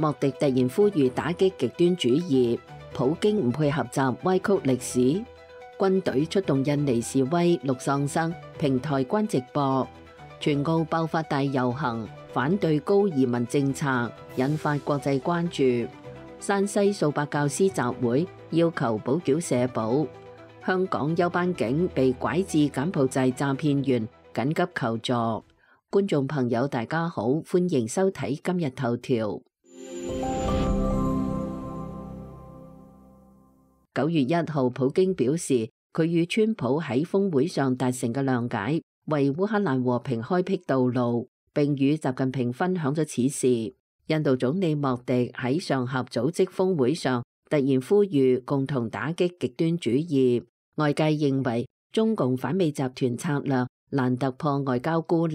莫迪突然呼籲打擊極端主義，普京唔配合習歪曲歷史。軍隊出動印尼示威，陸喪生，平台關直播。全澳爆發大遊行，反對高移民政策，引發國際關注。山西數百教師集會，要求補繳社保。香港休班警被拐至柬埔寨詐騙員，緊急求助。觀眾朋友大家好，歡迎收睇今日頭條。9月1號，普京表示佢與川普喺峰會上達成嘅諒解，為烏克蘭和平開闢道路，並與習近平分享咗此事。印度總理莫迪喺上合組織峰會上突然呼籲共同打擊極端主義，外界認為中共反美集團策略難突破外交孤立。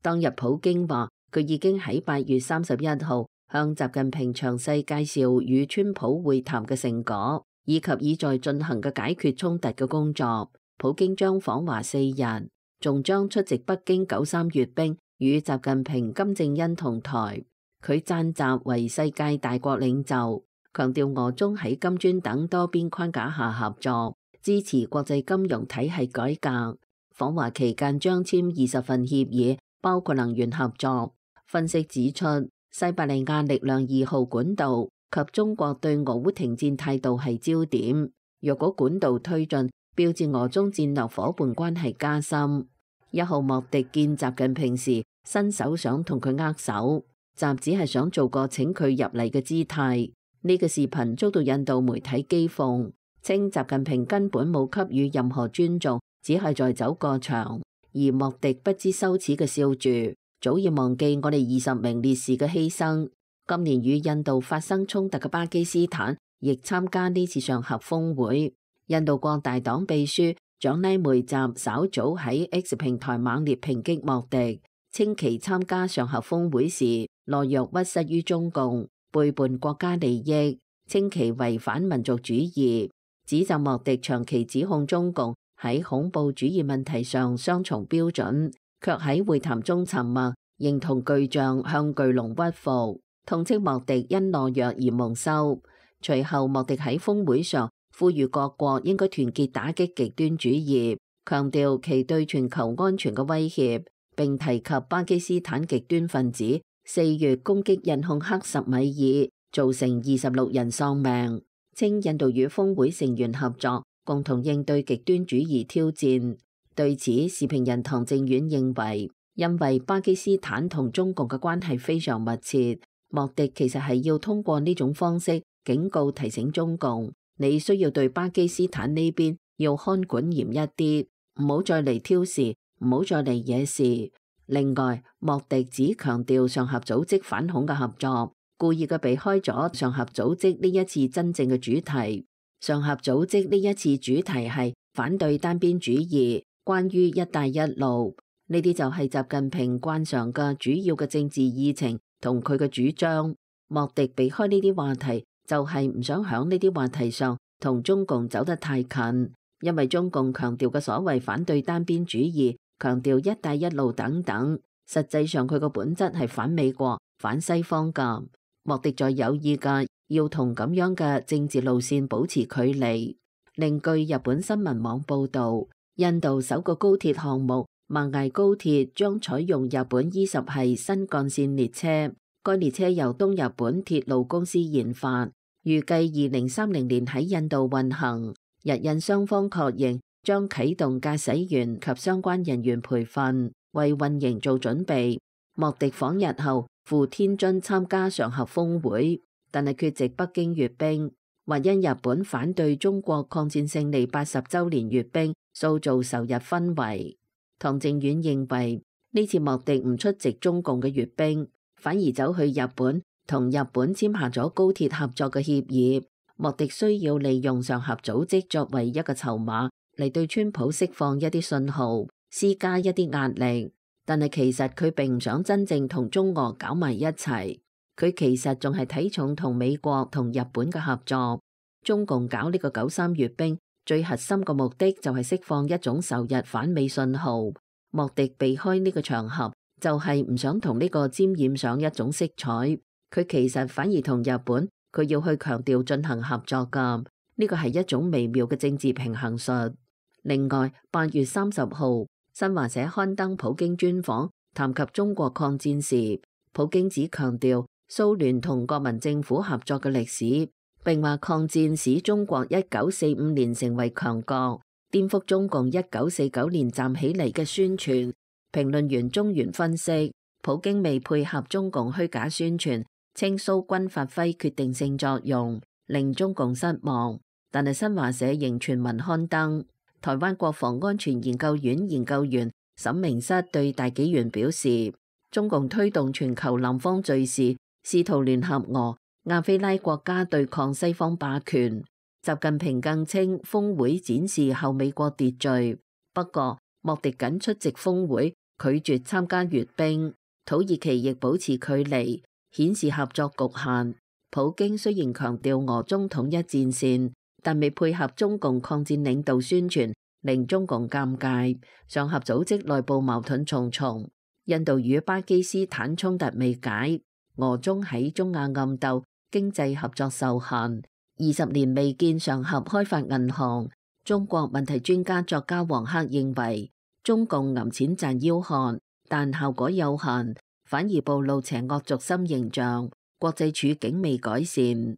當日普京話佢已經喺8月31號向習近平詳細介紹與川普會談嘅成果，以及已在進行嘅解決衝突嘅工作。普京將訪華4日，仲將出席北京93閱兵，與習近平、金正恩同台。佢讚習為世界大國領袖，強調俄中喺金磚等多邊框架下合作，支持國際金融體系改革。訪華期間將簽20份協議，包括能源合作。分析指出，西伯利亞力量2號管道及中國對俄烏停戰態度係焦點。若果管道推進，標誌俄中戰略夥伴關係加深。1號莫迪見習近平時，伸手想同佢握手，習只係想做個請佢入嚟嘅姿態。呢個視頻遭到印度媒體譏諷，稱習近平根本冇給予任何尊重，只係在走過場。而莫迪不知羞恥嘅笑住，早已忘記我哋20名烈士嘅犧牲。今年與印度發生衝突嘅巴基斯坦亦參加呢次上合峰會。印度國大黨秘書蔣拉梅澤稍早喺 X 平台猛烈抨擊莫迪，稱其參加上合峰會時懦弱屈膝於中共，背叛國家利益，稱其違反民族主義，指責莫迪長期指控中共喺恐怖主義問題上雙重標準，卻喺會談中沉默，認同巨象向巨龍屈服，痛斥莫迪因懦弱而蒙羞。隨後莫迪喺峰會上呼籲各國應該團結打擊極端主義，強調其對全球安全嘅威脅，並提及巴基斯坦極端分子4月攻擊印控克什米爾，造成26人喪命，稱印度與峰會成員合作，共同應對極端主義挑戰。對此，時評人唐正遠認為，因為巴基斯坦同中共嘅關係非常密切，莫迪其實係要通過呢種方式警告提醒中共，你需要對巴基斯坦呢邊要看管嚴一啲，唔好再嚟挑事，唔好再嚟惹事。另外，莫迪只強調上合組織反恐嘅合作，故意嘅避開咗上合組織呢一次真正嘅主題。上合組織呢一次主題係反對單邊主義，關於一帶一路，呢啲就係習近平慣常嘅主要嘅政治議程同佢嘅主張。莫迪避開呢啲話題，就係唔想響呢啲話題上同中共走得太近，因為中共強調嘅所謂反對單邊主義，強調一帶一路等等，實際上佢個本質係反美國、反西方㗎。莫迪在有意嘅要同咁樣嘅政治路線保持距離。另據日本新聞網報導，印度首個高鐵項目萬崖高鐵將採用日本E10系新幹線列車，該列車由東日本鐵路公司研發，預計2030年喺印度運行。日印雙方確認將啟動駕駛員及相關人員培訓，為運營做準備。莫迪訪日後赴天津參加上合峰會，但係缺席北京閱兵，或因日本反對中國抗戰勝利80週年閱兵，塑造仇日氛圍。唐正遠認為呢次莫迪唔出席中共嘅閱兵，反而走去日本同日本簽下咗高鐵合作嘅協議。莫迪需要利用上合組織作為一個籌碼嚟對川普釋放一啲信號，施加一啲壓力。但係其實佢並唔想真正同中俄搞埋一齊，佢其實仲係睇重同美國同日本嘅合作。中共搞呢個93閱兵，最核心嘅目的就係釋放一種仇日反美信號。莫迪避開呢個場合，就係唔想同呢個沾染上一種色彩。佢其實反而同日本，佢要去強調進行合作㗎，呢個係一種微妙嘅政治平衡術。另外，8月30號，新華社刊登普京專訪，談及中國抗戰時，普京只強調蘇聯同國民政府合作嘅歷史，並話抗戰使中國1945年成為強國，顛覆中共1949年站起嚟嘅宣傳。評論員中原分析，普京未配合中共虛假宣傳，稱蘇軍發揮決定性作用，令中共失望。但係新華社仍全文刊登。台灣國防安全研究院研究員沈明室對大紀元表示，中共推動全球南方敘事，試圖聯合俄、亞非拉國家對抗西方霸權。習近平更稱峰會展示後美國秩序。不過莫迪僅出席峰會，拒絕參加閱兵。土耳其亦保持距離，顯示合作局限。普京雖然強調俄中統一戰線，但未配合中共抗戰領導宣傳，令中共尷尬。上合組織內部矛盾重重，印度與巴基斯坦衝突未解，俄中喺中亞暗鬥，經濟合作受限。20年未見上合開發銀行。中國問題專家作家黃克認為，中共揞錢賺腰漢，但效果有限，反而暴露邪惡軸心形象，國際處境未改善。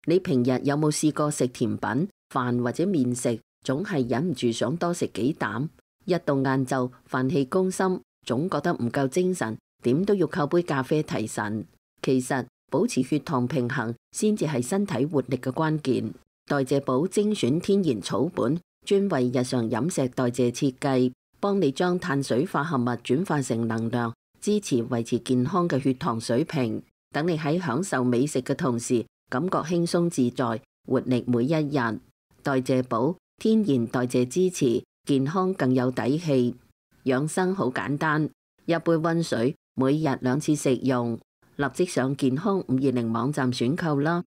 你平日有冇試過食甜品、飯或者麵食，總係忍唔住想多食幾啖？一到晏晝，飯氣攻心，總覺得唔夠精神，點都要靠杯咖啡提神。其實保持血糖平衡先至係身體活力嘅關鍵。代謝寶精選天然草本，專為日常飲食代謝設計，幫你將碳水化合物轉化成能量，支持維持健康嘅血糖水平。等你喺享受美食嘅同時，感覺輕鬆自在，活力每一日。代謝寶天然代謝支持，健康更有底氣。養生好簡單，一杯溫水，每日2次食用。立即上健康520網站選購啦。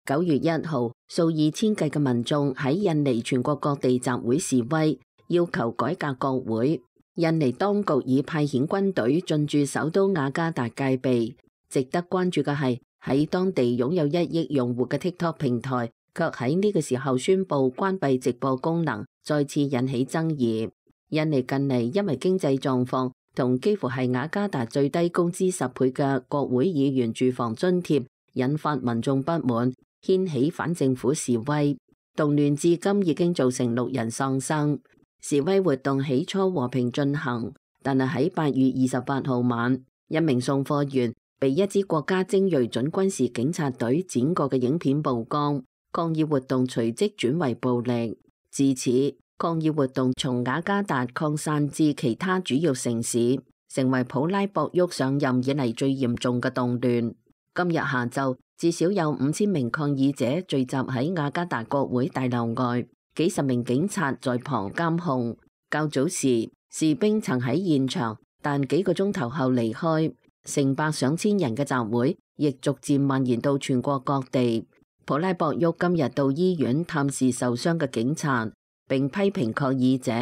9月1號，數以千計嘅民眾喺印尼全國各地集會示威，要求改革國會。印尼當局已派遣軍隊進駐首都雅加達戒備。值得關注嘅係，喺當地擁有1億用戶嘅 TikTok 平台，卻喺呢個時候宣布關閉直播功能，再次引起爭議。印尼近嚟因為經濟狀況同幾乎係雅加達最低工資10倍嘅國會議員住房津貼，引發民眾不滿，掀起反政府示威。動亂至今已經造成6人喪生。示威活動起初和平進行，但係喺8月28號晚，一名送貨員被一支國家精銳準軍事警察隊剪過嘅影片曝光，抗議活動隨即轉為暴力。自此，抗議活動從雅加達擴散至其他主要城市，成為普拉博沃上任以嚟最嚴重嘅動亂。今日下晝，至少有5000名抗議者聚集喺雅加達國會大樓外，幾十名警察在旁監控。較早時，士兵曾喺現場，但幾個鐘頭後離開。成百上千人嘅集會亦逐漸蔓延到全國各地。普拉博沃今日到醫院探視受傷嘅警察，並批評抗議者。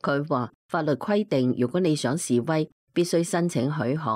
佢話法律規定，如果你想示威，必須申請許可，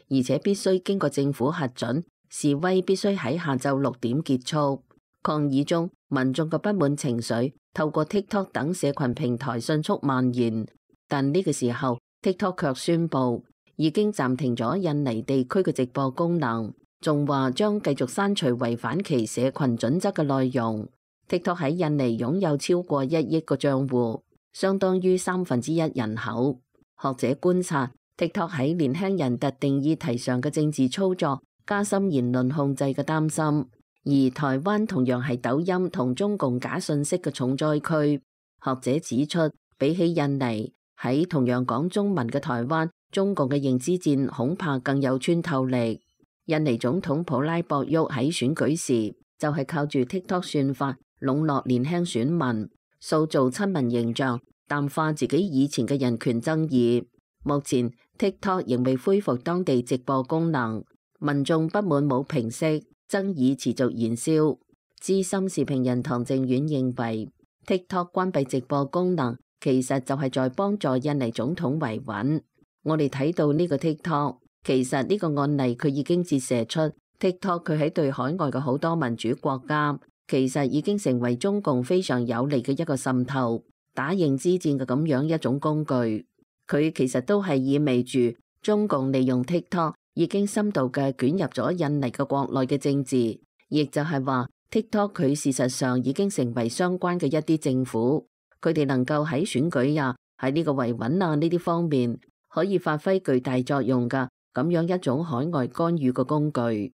而且必須經過政府核准。示威必須喺下晝6點結束。抗議中，民眾嘅不滿情緒透過 TikTok 等社群平台迅速蔓延，但呢個時候 TikTok 卻宣布已經暫停咗印尼地區嘅直播功能，仲話將繼續刪除違反其社群準則嘅內容。TikTok 喺印尼擁有超過1億個賬戶，相當於1/3人口。學者觀察 TikTok 喺年輕人特定議題上嘅政治操作，加深言論控制嘅擔心。而台灣同樣係抖音同中共假信息嘅重災區。學者指出，比起印尼，喺同樣講中文嘅台灣，中共嘅認知戰恐怕更有穿透力。印尼總統普拉博沃喺選舉時就係靠住 TikTok 算法籠絡年輕選民，塑造親民形象，淡化自己以前嘅人權爭議。目前 TikTok 仍未恢復當地直播功能，民眾不滿冇平息，爭議持續燃燒。資深時評人唐正遠認為 TikTok 關閉直播功能其實就係在幫助印尼總統維穩。我哋睇到呢個 TikTok， 其實呢個案例佢已經折射出 TikTok 佢喺對海外嘅好多民主國家，其實已經成為中共非常有利嘅一個滲透、打認知戰嘅咁樣一種工具。佢其實都係意味住中共利用 TikTok 已經深度嘅捲入咗印尼嘅國內嘅政治，亦就係話 TikTok 佢事實上已經成為相關嘅一啲政府，佢哋能夠喺選舉啊、喺呢個維穩啊呢啲方面可以發揮巨大作用㗎咁樣一種海外干預嘅工具。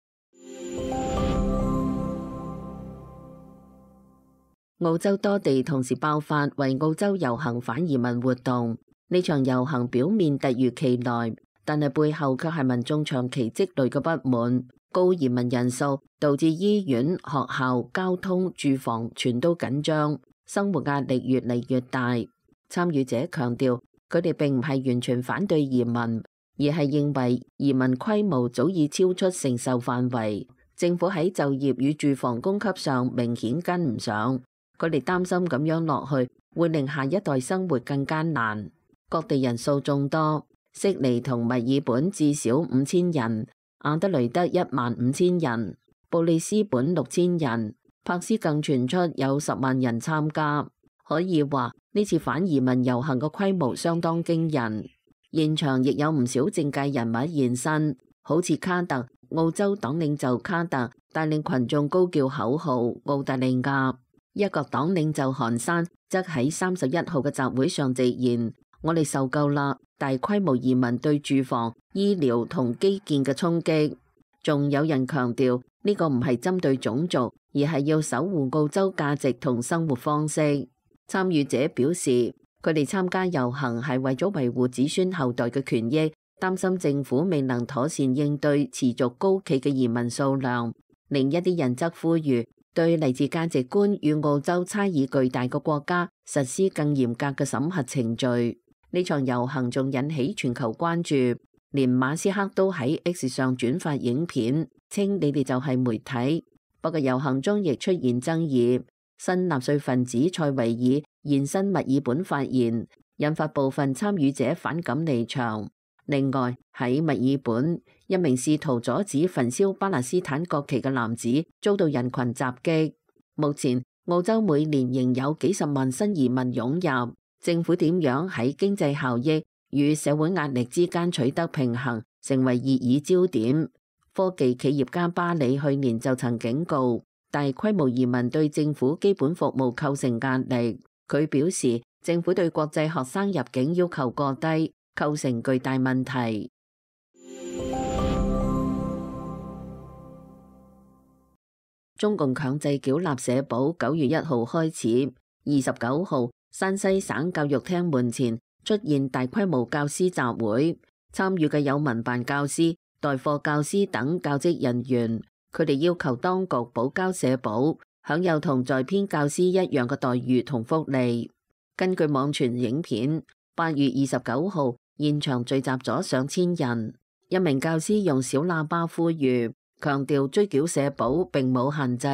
澳洲多地同時爆發為澳洲遊行反移民活動，呢場遊行表面突如其來，但係背後卻係民眾長期積累嘅不滿。高移民人數導致醫院、學校、交通、住房全都緊張，生活壓力越嚟越大。參與者強調，佢哋並唔係完全反對移民，而係認為移民規模早已超出承受範圍，政府喺就業與住房供給上明顯跟唔上。佢哋擔心咁樣落去會令下一代生活更艱難。各地人數眾多，悉尼同墨爾本至少5000人，阿德雷德15000人，布里斯本6000人，珀斯更傳出有10萬人參加。可以話呢次反移民遊行嘅規模相當驚人，現場亦有唔少政界人物現身，好似卡特，澳洲黨領袖卡特帶領群眾高叫口號澳大利亞。一個黨領袖韓山則喺31號嘅集會上直言：我哋受夠啦，大規模移民對住房、醫療同基建嘅衝擊。仲有人強調呢個唔係針對種族，而係要守護澳洲價值同生活方式。參與者表示，佢哋參加遊行係為咗維護子孫後代嘅權益，擔心政府未能妥善應對持續高企嘅移民數量。另一啲人則呼籲對嚟自價值觀與澳洲差異巨大嘅國家實施更嚴格嘅審核程序。呢場遊行仲引起全球關注，連馬斯克都喺 X 上轉發影片，稱你哋就係媒體。不過遊行中亦出現爭議，新納粹分子塞維爾現身墨爾本發言，引發部分參與者反感離場。另外喺墨爾本，一名試圖阻止焚燒巴勒斯坦國旗嘅男子遭到人群襲擊。目前澳洲每年仍有幾十萬新移民湧入，政府點樣喺經濟效益與社會壓力之間取得平衡，成為熱議焦點。科技企業家巴里去年就曾警告，大規模移民對政府基本服務構成壓力。佢表示，政府對國際學生入境要求過低，構成巨大問題。中共強制繳納社保9月1號開始，29號山西省教育廳門前出現大規模教師集會，參與嘅有民辦教師、代課教師等教職人員，佢哋要求當局補交社保，享有同在編教師一樣嘅待遇同福利。根據網傳影片，8月29號現場聚集咗上千人，一名教師用小喇叭呼籲，強調追繳社保並冇限制。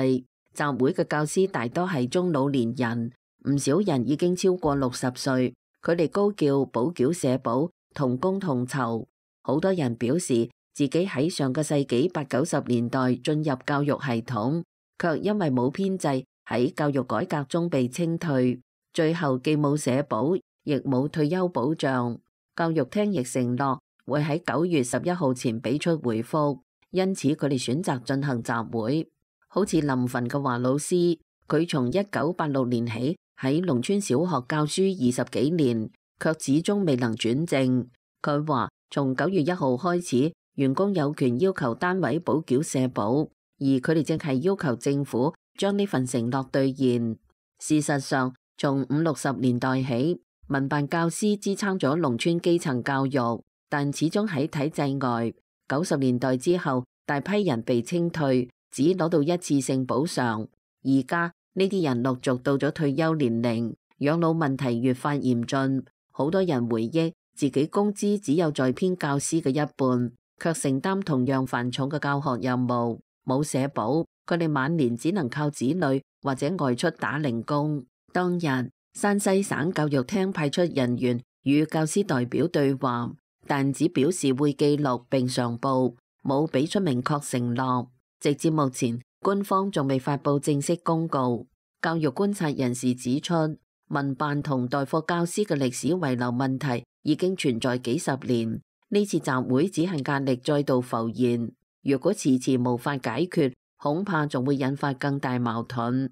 集會嘅教師大多係中老年人，唔少人已經超過60歲，佢哋高叫補繳社保，同工同酬。好多人表示自己喺上個世紀80、90年代進入教育系統，卻因為冇編制喺教育改革中被清退，最後既冇社保，亦冇退休保障。教育廳亦承諾會喺9月11號前俾出回覆，因此佢哋選擇進行集會。好似臨汾嘅華老師，佢從1986年起喺農村小學教書20幾年，卻始終未能轉正。佢話從9月1號開始，員工有權要求單位補繳社保，而佢哋正係要求政府將呢份承諾兌現。事實上，從50、60年代起，民辦教師支撐咗農村基層教育，但始終喺體制外。90年代之後，大批人被清退，只攞到一次性補償。而家呢啲人陸續到咗退休年齡，養老問題越發嚴峻。好多人回憶自己工資只有在編教師嘅一半，卻承擔同樣繁重嘅教學任務，冇社保，佢哋晚年只能靠子女或者外出打零工。當日山西省教育廳派出人員與教師代表對話，但只表示會記錄並上報，冇俾出明確承諾。直至目前，官方仲未發佈正式公告。教育觀察人士指出，民辦同代課教師嘅歷史遺留問題已經存在幾十年，呢次集會只係壓力再度浮現。如果遲遲無法解決，恐怕仲會引發更大矛盾。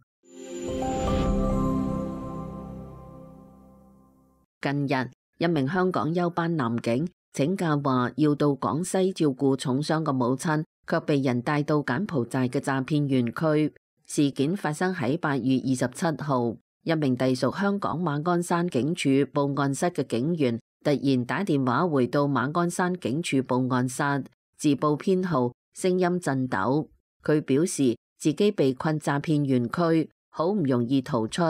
近日，一名香港休班男警請假話要到廣西照顧重傷嘅母親，卻被人帶到柬埔寨嘅詐騙園區。事件發生喺8月27號，一名隸屬香港馬鞍山警署報案室嘅警員突然打電話回到馬鞍山警署報案室，自報編號，聲音震抖。佢表示自己被困詐騙園區，好唔容易逃出，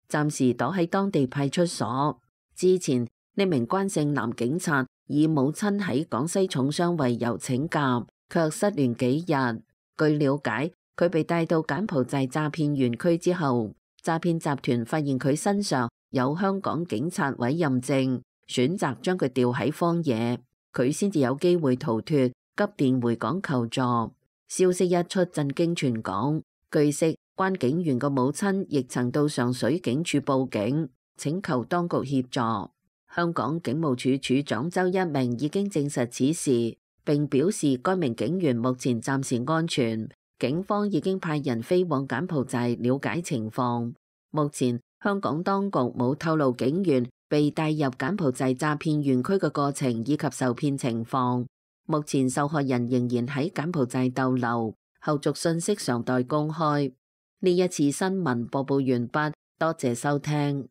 暫時躲喺當地派出所。之前呢名關姓男警察以母親喺廣西重傷為由請假，卻失聯幾日。據了解，佢被帶到柬埔寨詐騙園區之後，詐騙集團發現佢身上有香港警察委任證，選擇將佢吊喺荒野，佢先至有機會逃脫，急電回港求助。消息一出，震驚全港。據悉，關警員嘅母親亦曾到上水警署報警，請求當局協助。香港警務處處長周一鳴已經證實此事，並表示該名警員目前暫時安全，警方已經派人飛往柬埔寨了解情況。目前香港當局冇透露警員被帶入柬埔寨詐騙園區嘅過程以及受騙情況。目前受害人仍然喺柬埔寨逗留，後續信息尚待公開。呢一次新聞播報完畢，多謝收聽。